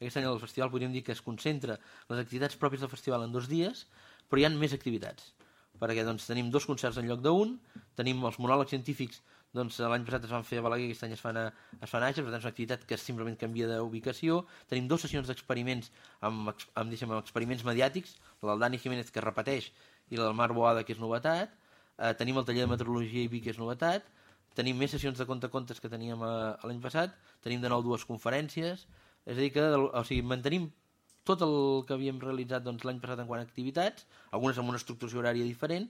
aquest any el festival podríem dir que es concentra les activitats pròpies del festival en 2 dies, però hi ha més activitats, perquè doncs, tenim 2 concerts en lloc d'1, tenim els monòlegs científics, doncs, l'any passat es van fer a Balaguer, aquest any es fan a Àger, per tant és una activitat que simplement canvia d'ubicació, tenim 2 sessions d'experiments amb experiments mediàtics, la del Dani Jiménez que repeteix i la del Marc Boada que és novetat, tenim el taller de meteorologia i vi que és novetat, tenim més sessions de contes que teníem l'any passat, tenim de nou 2 conferències, és a dir que mantenim tot el que havíem realitzat doncs, l'any passat en quant a activitats, algunes amb una estructuració horària diferent,